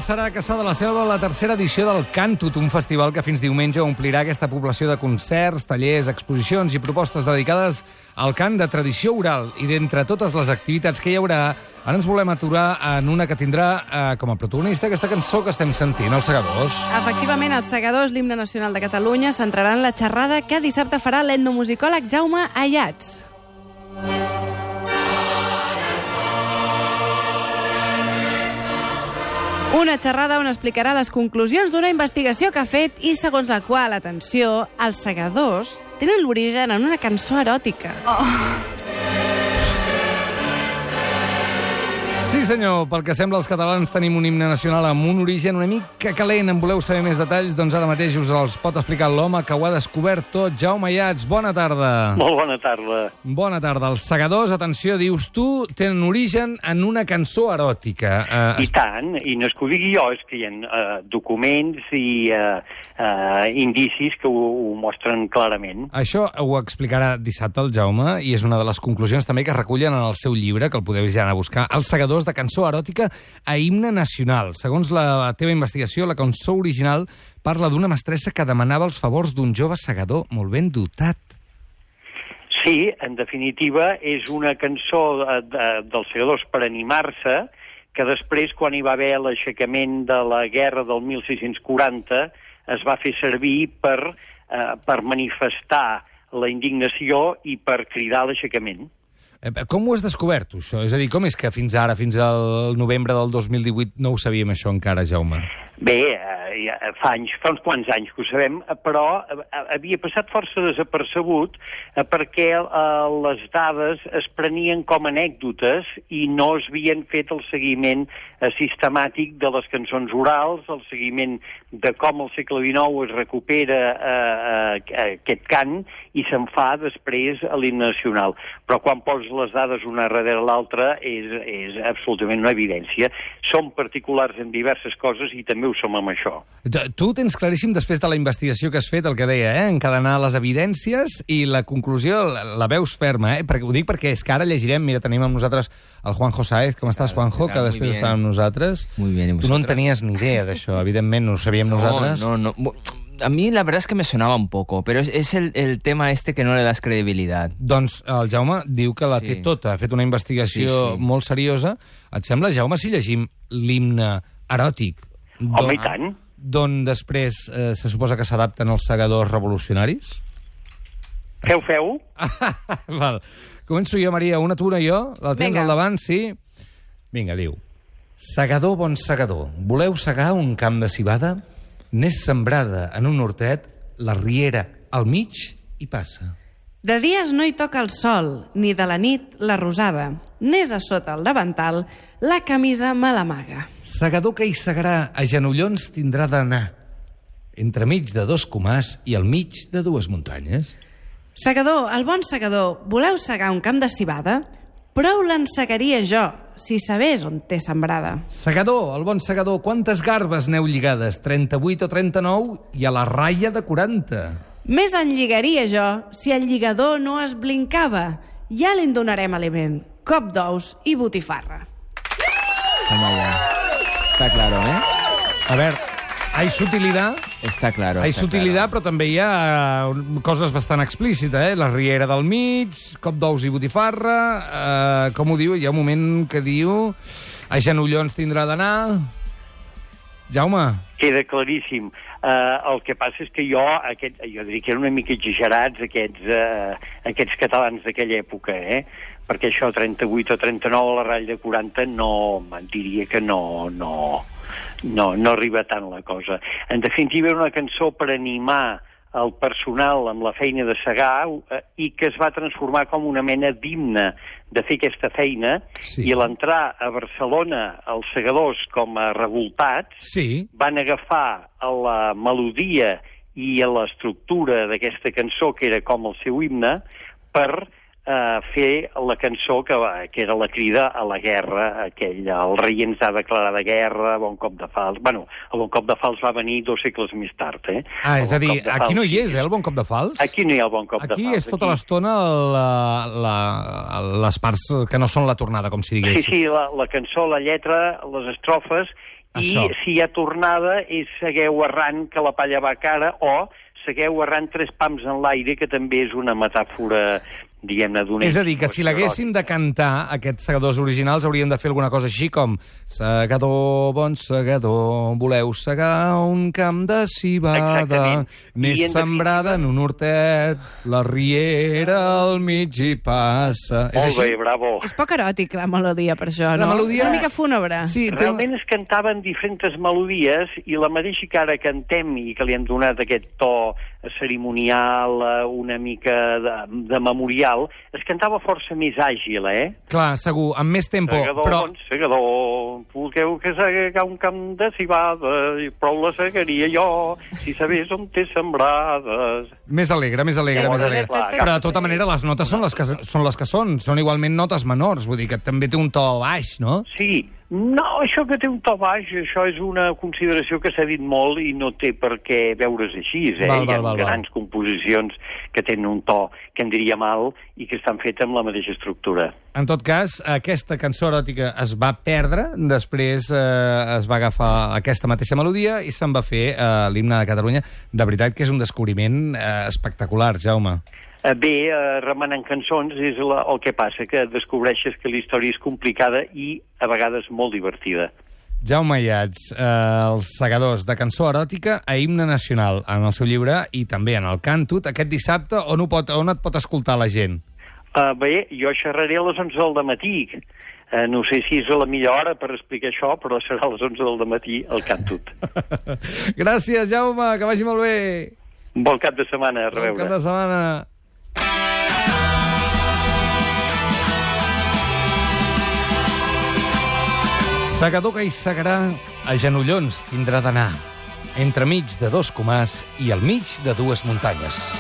començarà a Cassà de la Selva la tercera edició del Cantut, un festival que fins diumenge omplirà aquesta població de concerts, tallers, exposicions i propostes dedicades al cant de tradició oral. I d'entre totes les activitats que hi haurà, ara ens volem aturar en una que tindrà com a protagonista aquesta cançó que estem sentint, Els Segadors. Efectivament, Els Segadors, l'himne nacional de Catalunya, centrarà en la xerrada que dissabte farà l'etnomusicòleg Jaume Ayats. Una xerrada on explicarà les conclusions d'una investigació que ha fet i segons la qual, atenció, els segadors tenen l'origen en una cançó eròtica. Sí, senyor, pel que sembla els catalans tenim un himne nacional amb un origen una mica calent. En voleu saber més detalls? Doncs ara mateix us els pot explicar l'home que ho ha descobert tot. Jaume Ayats, bona tarda. Molt bona tarda. Bona tarda. Els segadors, atenció, dius tu, tenen origen en una cançó eròtica. I tant, i no és que ho digui jo, és que hi ha documents i indicis que ho mostren clarament. Això ho explicarà dissabte el Jaume i és una de les conclusions també que recullen en el seu llibre, que el podeu ja anar a buscar, Els segadors de cançó eròtica a himne nacional. Segons la teva investigació, la cançó original parla d'una mestressa que demanava els favors d'un jove segador molt ben dotat. Sí, en definitiva, és una cançó dels segadors per animar-se, que després, quan hi va haver l'aixecament de la guerra del 1640, es va fer servir per manifestar la indignació i per cridar l'aixecament. Com ho has descobert, això? És a dir, com és que fins ara, fins al novembre del 2018, no ho sabíem això encara, Jaume? Bé, fa uns quants anys que ho sabem, però havia passat força desapercebut perquè les dades es prenien com anècdotes i no es havien fet el seguiment sistemàtic de les cançons orals, el seguiment de com al segle XIX es recupera aquest cant i se'n fa després a l'himne nacional. Però quan poses les dades una darrere l'altra és absolutament una evidència. Som particulars en diverses coses i també ho som amb això. Tu tens claríssim, després de la investigació que has fet, el que deia, encadenar les evidències i la conclusió la veus ferma, Perquè, ho dic perquè és que ara llegirem, mira, tenim amb nosaltres el Juanjo Sáez. Com estàs, Juanjo? Que després està amb nosaltres. Muy bien, ¿y vosotros? Tu no en tenies ni idea d'això, evidentment, no ho sabíem nosaltres. No. A mí la verdad es que me sonaba un poco, pero es el tema este que no le das credibilidad. Doncs el Jaume diu que la té tota, ha fet una investigació molt seriosa. Et sembla, Jaume, si llegim l'himne eròtic? Home, i tant. D'on després se suposa que s'adapten els segadors revolucionaris? Feu? Val. Començo jo, Maria, una tu, una jo. La tens al davant, sí? Vinga, diu. Segador, bon segador, voleu segar un camp de civada? N'és sembrada en un hortet, la riera al mig i passa. De dies no hi toca el sol, ni de la nit la rosada. N'és a sota el davantal, la camisa me l'amaga. Segador que hi segarà, a genollons tindrà d'anar, entremig de dos comars i al mig de dues muntanyes. Segador, el bon segador, voleu segar un camp de civada? Prou l'ensegaria jo, si sabés on té sembrada. Segador, el bon segador, quantes garbes n'heu lligades? 38 o 39 i a la ratlla de 40. Més en lligaria jo, si el lligador no es blincava. Ja li'n donarem aliment, cop d'ous i botifarra. Toma ya. Está claro, A veure, hay sutilidad. Está claro. Hay sutilidad, però també hi ha coses bastant explícites, La riera del mig, cop d'ous i botifarra... com ho diu? Hi ha un moment que diu... A genollons tindrà d'anar... Jaume? Queda claríssim. El que passa és que jo diria que eren una mica exagerats aquests catalans d'aquella època, perquè això 38 o 39 a la ratlla de 40 diria que no arriba tant la cosa. En definitiva, era una cançó per animar el personal amb la feina de segar i que es va transformar com una mena d'himne de fer aquesta feina, i a l'entrar a Barcelona els segadors com a revoltats van agafar la melodia i l'estructura d'aquesta cançó, que era com el seu himne, per fer la cançó que era la crida a la guerra, el rei ens ha declarat guerra, bon cop de fals. Bueno, el bon cop de fals va venir 2 segles més tard, és a dir, aquí no hi és, el bon cop de fals? Aquí no hi ha el bon cop de fals. Aquí és tota l'estona les parts que no són la tornada, com si diguéssim. Sí, la cançó, la lletra, les estrofes Això. I si hi ha tornada és segueu errant que la palla va cara, o segueu errant 3 pams en l'aire, que també és una metàfora, diguem-ne, d'un... És a dir, que si l'haguessin de cantar, aquests segadors originals haurien de fer alguna cosa així com segador, bon segador, voleu segar un camp de civada, n'és sembrada en un hortet, la riera al mig hi passa... Molt bé, bravo. És poc eròtic, la melodia, per això, no? La melodia... Una mica fúnebre. Sí, Realment es cantaven diferents melodies, i la mateixa que ara cantem i que li hem donat aquest to cerimonial, una mica de memorial, es cantava força més àgil, Clar, segur, amb més tempo, Segador, però... bon segador, volgueu que segar un camp de civada, prou la segaria jo, si sabés on té sembrades. Més alegre, més alegre, més alegre. Clar, Però, de tota manera, les notes són les que són igualment notes menors, vull dir que també té un to baix, no? Sí, no, això que té un to baix, això és una consideració que s'ha dit molt i no té per què veure's així, Hi ha grans composicions que tenen un to que en diríem alt i que estan fetes amb la mateixa estructura. En tot cas, aquesta cançó eròtica es va perdre, després es va agafar aquesta mateixa melodia i se'n va fer l'himne de Catalunya. De veritat que és un descobriment espectacular, Jaume. Bé, remenant cançons és el que passa, que descobreixes que la història és complicada i a vegades molt divertida. Jaume Ayats, els segadors de cançó eròtica a himne nacional, en el seu llibre i també en el Càntut, aquest dissabte, on et pot escoltar la gent? Bé, jo xerraré a les 11 del matí. No sé si és la millor hora per explicar això, però serà a les 11 del matí al Càntut. Gràcies, Jaume, que vagi molt bé. Bon cap de setmana, a reveure. Bon cap de setmana. Segador que hi segarà, a genollons tindrà d'anar, entremig de 2 comars i al mig de 2 muntanyes.